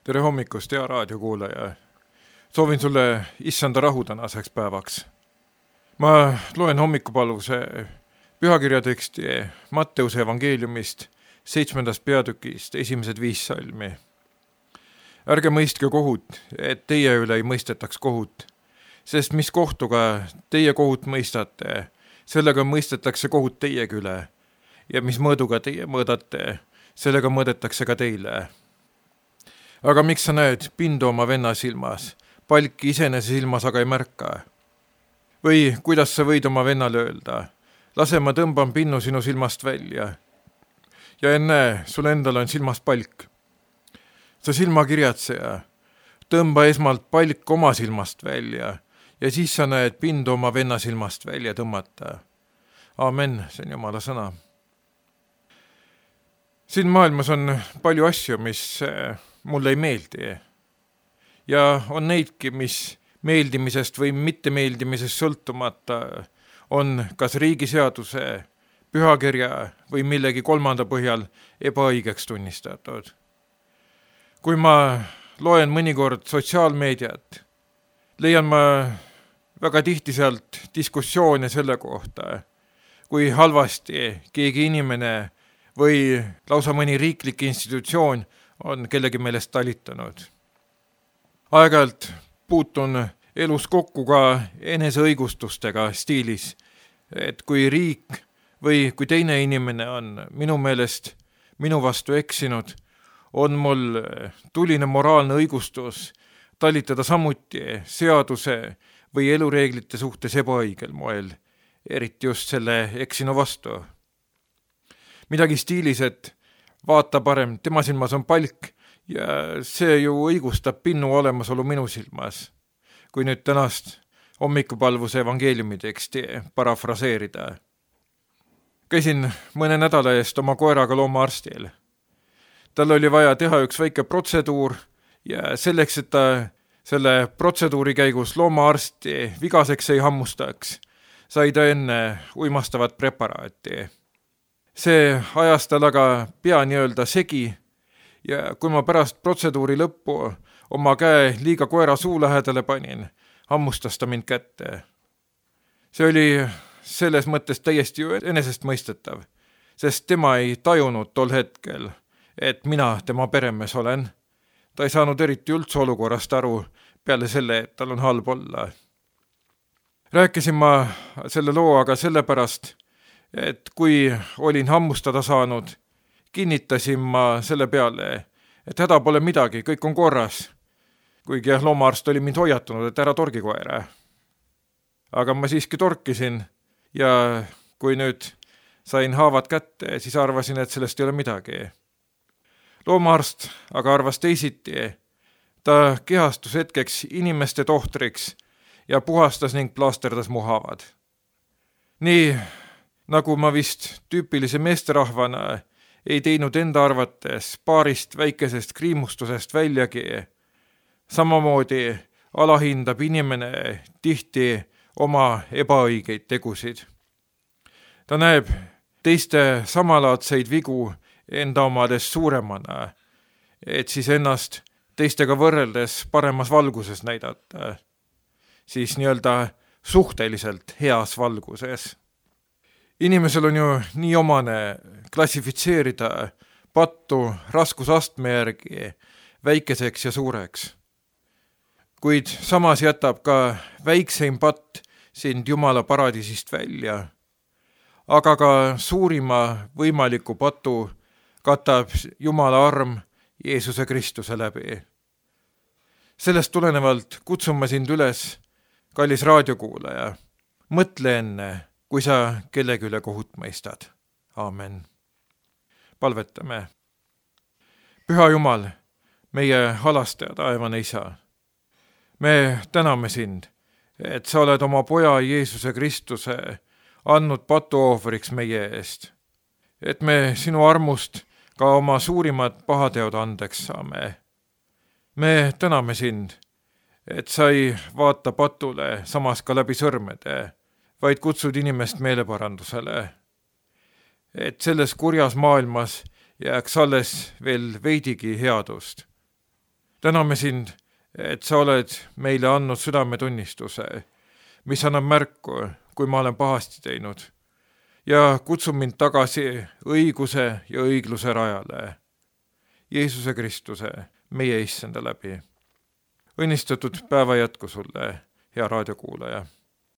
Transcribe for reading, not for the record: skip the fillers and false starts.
Tere hommikust, hea raadiokuulaja. Soovin sulle issanda rahu tänaseks päevaks. Ma loen hommikupalvuse pühakirjateksti Matteuse evangeeliumist 7. peatükist 1. 5 salmi. Ärge mõistke kohut, et teie üle ei mõistetaks kohut, sest mis kohtuga teie kohut mõistate, sellega mõistetakse kohut teiegi üle, ja mis mõõduga teie mõõdate, sellega mõõdetakse ka teile. Aga miks sa näed pindu oma venna silmas, palki iseenese silmas aga ei märka? Või kuidas sa võid oma vennale öelda, lase ma tõmban pinnu sinu silmast välja. Ja enne, sul endal on silmas palk. Sa silmakirjatseja, tõmba esmalt palk oma silmast välja ja siis sa näed pindu oma venna silmast välja tõmmata. Amen, see on Jumala sõna. Siin maailmas on palju asju, mis mulle ei meeldi. Ja on neidki, mis meeldimisest või mittemeeldimisest sõltumata on kas riigiseaduse, pühakirja või millegi kolmanda põhjal ebaõigeks tunnistatud. Kui ma loen mõnikord sotsiaalmeediat, leian ma väga tihti sealt diskussioone selle kohta, kui halvasti keegi inimene või lausa mõni riiklik institutsioon on kellegi meelest talitanud. Aeg-ajalt puutun elus kokku ka eneseõigustustega stiilis, et kui riik või kui teine inimene on minu meelest minu vastu eksinud, on mul tuline moraalne õigustus talitada samuti seaduse või elureeglite suhtes ebaõigel moel, eriti just selle eksinu vastu. Midagi stiilis, et vaata parem, tema silmas on palk ja see ju õigustab pinnu olemasolu minu silmas. Kui nüüd tänast hommikupalvuse evangeeliumi teksti parafraseerida. Käisin mõne nädala eest oma koeraga loomaarstil. Tal oli vaja teha üks väike protseduur ja selleks, et ta selle protseduuri käigus loomaarsti vigaseks ei hammustaks, sai ta enne uimastavat preparaati. See ajas tal aga pea nii-öelda segi ja kui ma pärast protseduuri lõppu oma käe liiga koera suu lähedale panin, hammustas ta mind kätte. See oli selles mõttes täiesti enesestmõistetav, sest tema ei tajunud tol hetkel, et mina tema peremees olen. Ta ei saanud eriti üldse olukorrast aru peale selle, et tal on halb olla. Rääkisin ma selle loo aga sellepärast, et kui olin hammustada saanud, kinnitasin ma selle peale, et häda pole midagi, kõik on korras. Kuigi loomaarst oli mind hoiatanud, et ära torgi koera. Aga ma siiski torkisin ja kui nüüd sain haavad kätte, siis arvasin, et sellest ei ole midagi. Loomaarst aga arvas teisiti. Ta kehastus hetkeks inimeste tohtriks ja puhastas ning plaasterdas mu haavad. Nii nagu ma vist tüüpilise meesterahvana ei teinud enda arvates paarist väikesest kriimustusest väljagi, samamoodi alahindab inimene tihti oma ebaõigeid tegusid. Ta näeb teiste samalaadseid vigu enda omades suuremana, et siis ennast teistega võrreldes paremas valguses näidata, siis nii-öelda suhteliselt heas valguses. Inimesel on ju nii omane klassifitseerida pattu raskusastme järgi väikeseks ja suureks. Kuid samas jätab ka väikseim patt sind Jumala paradiisist välja, aga ka suurima võimaliku patu katab Jumala arm Jeesuse Kristuse läbi. Sellest tulenevalt kutsun ma sind üles, kallis raadiokuulaja, mõtle enne, kui sa kellegi üle kohut mõistad. Aamen. Palvetame. Püha Jumal, meie halastaja, taevane Isa. Me täname sind, et sa oled oma poja Jeesuse Kristuse andnud patuohvriks meie eest. Et me sinu armust ka oma suurimad pahateod andeks saame. Me täname sind, et sa ei vaata patule samas ka läbi sõrmede, vaid kutsud inimest meeleparandusele. Et selles kurjas maailmas jääks alles veel veidigi headust. täname sind, et sa oled meile andnud südametunnistuse, mis annab märku, kui ma olen pahasti teinud ja kutsub mind tagasi õiguse ja õigluse rajale. Jeesuse Kristuse, meie issanda läbi. Õnnistatud päeva jätku sulle, hea raadiokuulaja!